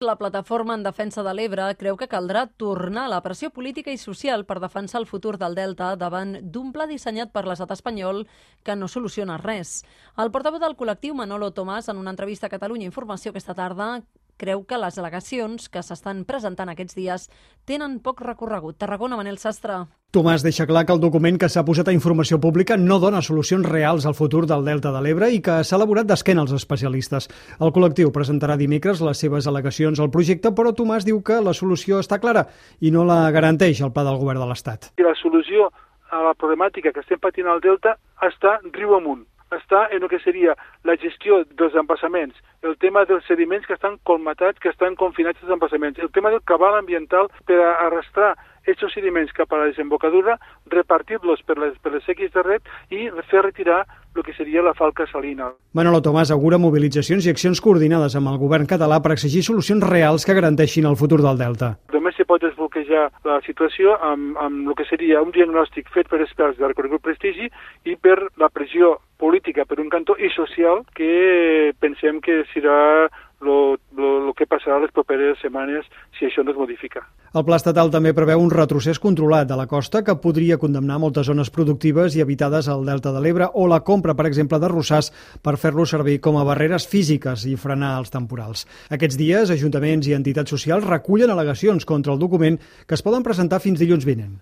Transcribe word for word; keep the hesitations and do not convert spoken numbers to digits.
La plataforma en defensa de l'Ebre creu que caldrà tornar a la pressió política i social per defensar el futur del Delta davant d'un pla dissenyat per l'estat espanyol que no soluciona res. El portaveu del col·lectiu, Manolo Tomàs, en una entrevista a Catalunya Informació aquesta tarda, creu que les al·legacions que s'estan presentant aquests dies tenen poc recorregut. Tarragona, Manel Sastre. Tomàs deixa clar que el document que s'ha posat a informació pública no dona solucions reals al futur del Delta de l'Ebre i que s'ha elaborat d'esquena als especialistes. El col·lectiu presentarà dimecres les seves al·legacions al projecte, però Tomàs diu que la solució està clara i no la garanteix el pla del govern de l'Estat. La solució a la problemàtica que estem patint al Delta està riu amunt. Està en el que seria la gestió dels embassaments, el tema dels sediments que estan colmatats, que estan confinats als embassaments, el tema del cabal ambiental per arrastrar aquests sediments cap a la desembocadura, repartir-los per les, per les sèquies de reg i fer retirar el que seria la falca salina. Manolo Tomàs augura mobilitzacions i accions coordinades amb el govern català per exigir solucions reals que garanteixin el futur del Delta. Només se pot desbloquejar la situació amb, amb el que seria un diagnòstic fet per experts de reconegut prestigi i per la pressió política per un cantó i social que pensem que serà el que passarà les properes setmanes si això no es modifica. El pla estatal també preveu un retrocés controlat de la costa que podria condemnar moltes zones productives i habitades al Delta de l'Ebre o la compra, per exemple, de rossars per fer-lo servir com a barreres físiques i frenar els temporals. Aquests dies, ajuntaments i entitats socials recullen al·legacions contra el document que es poden presentar fins dilluns vinent.